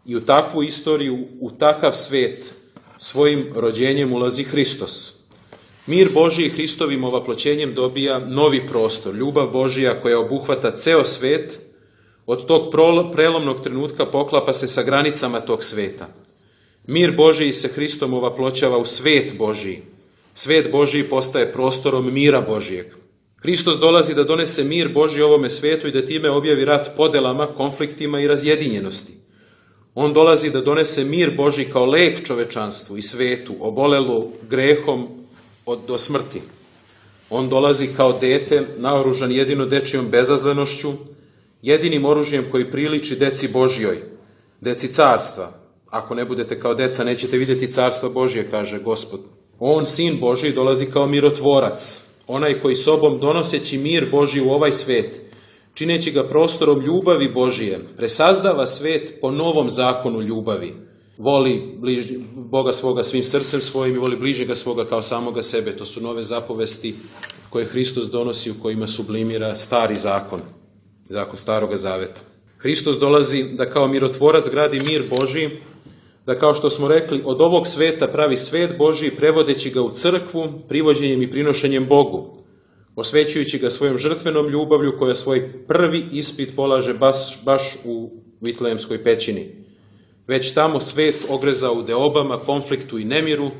I u takvu istoriju, u takav svet, svojim rođenjem ulazi Hristos. Mir Božiji Hristovim ovaploćenjem dobija novi prostor, ljubav Božija koja obuhvata ceo svet, od tog prelomnog trenutka poklapa se sa granicama tog sveta. Mir Božiji se Hristom ovaploćava u svet Božiji. Svet Božiji postaje prostorom mira Božijeg. Hristos dolazi da donese mir Božji ovome svetu i da time objavi rat podelama, konfliktima i razjedinjenosti. On dolazi da donese mir Božji kao lek čovečanstvu i svetu, obolelu grehom od, do smrti. On dolazi kao dete, naoružan jedino dečijom bezazlenošću, jedinim oružjem koji priliči deci Božjoj, deci carstva. Ako ne budete kao deca, nećete vidjeti carstva Božje, kaže Gospod. On, Sin Božji, dolazi kao mirotvorac, onaj koji sobom donoseći mir Božji u ovaj svet, čineći ga prostorom ljubavi Božije, presazdava svet po novom zakonu ljubavi. Voli bliž, Boga svoga svim srcem svojim i voli bližnjega svoga kao samoga sebe. To su nove zapovesti koje Hristos donosi, u kojima sublimira stari zakon, zakon staroga zaveta. Hristos dolazi da kao mirotvorac gradi mir Božji, da kao što smo rekli, od ovog sveta pravi svet Božji, prevodeći ga u crkvu, privođenjem i prinošenjem Bogu, osvećujući ga svojom žrtvenom ljubavlju koja svoj prvi ispit polaže baš, baš u Vitlejemskoj pećini. Već tamo svet ogreza u deobama, konfliktu i nemiru,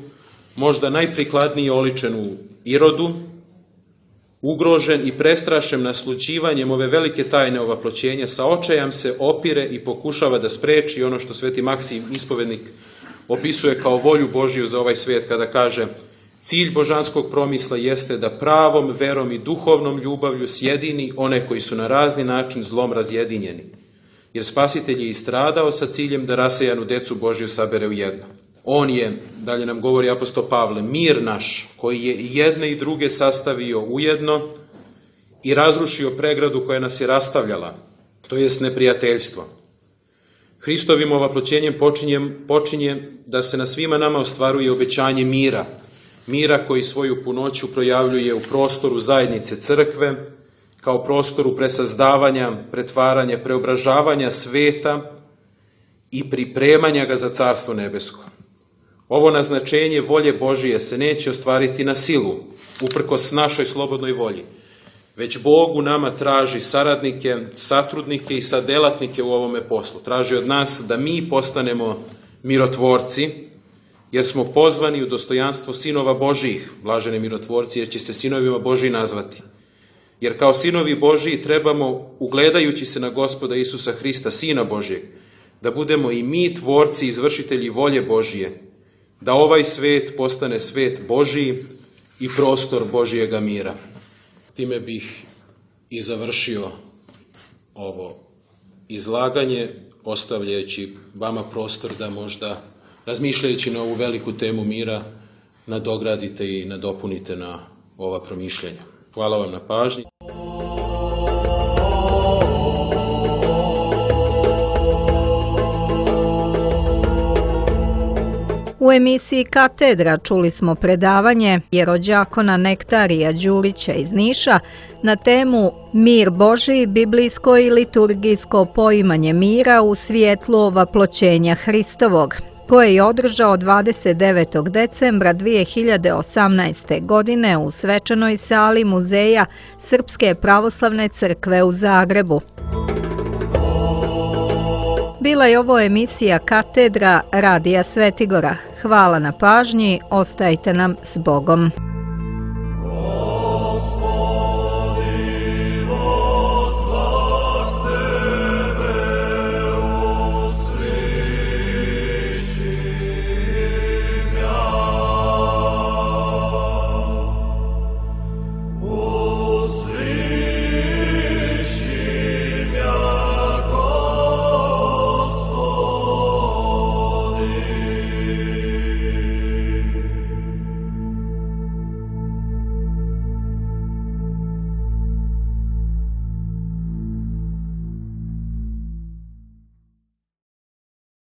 možda najprikladnije oličen u Irodu, ugrožen i prestrašen naslućivanjem ove velike tajne ovaploćenja, sa očajam se opire i pokušava da spreči ono što sveti Maksim ispovednik opisuje kao volju Božiju za ovaj svijet, kada kaže: cilj božanskog promisla jeste da pravom verom i duhovnom ljubavlju sjedini one koji su na razni način zlom razjedinjeni, jer Spasitelj je istradao sa ciljem da rasejanu decu Božju sabere u jedno. On je, dalje nam govori apostol Pavle, mir naš, koji je i jedne i druge sastavio ujedno i razrušio pregradu koja nas je rastavljala, to jest neprijateljstvo. Hristovim ovaploćenjem počinje, počinje da se na svima nama ostvaruje obećanje mira, mira koji svoju punoću projavljuje u prostoru zajednice crkve, kao prostoru presazdavanja, pretvaranja, preobražavanja sveta i pripremanja ga za Carstvo nebesko. Ovo naznačenje volje Božije se neće ostvariti na silu, uprkos našoj slobodnoj volji, već Bog u nama traži saradnike, satrudnike i sadelatnike u ovome poslu. Traži od nas da mi postanemo mirotvorci, jer smo pozvani u dostojanstvo sinova Božijih, blaženi mirotvorci, jer će se sinovima Božiji nazvati. Jer kao sinovi Božiji trebamo, ugledajući se na Gospoda Isusa Hrista, Sina Božijeg, da budemo i mi tvorci i izvršitelji volje Božije, da ovaj svet postane svet Božiji i prostor Božijega mira. Time bih i završio ovo izlaganje, ostavljajući vama prostor da možda, razmišljajući na ovu veliku temu mira, nadogradite i nadopunite na ova promišljenja. Hvala vam na pažnji. U emisiji Katedra čuli smo predavanje jerođakona Nektarija Đurića iz Niša na temu Mir Božiji, biblijsko i liturgijsko poimanje mira u svjetlu ovaploćenja Hristovog, koje je održao dvadeset devetog decembra dvije hiljade osamnaeste. godine u svečanoj sali Muzeja Srpske pravoslavne crkve u Zagrebu. Bila je ovo emisija Katedra Radija Svetigora. Hvala na pažnji, ostajte nam s Bogom.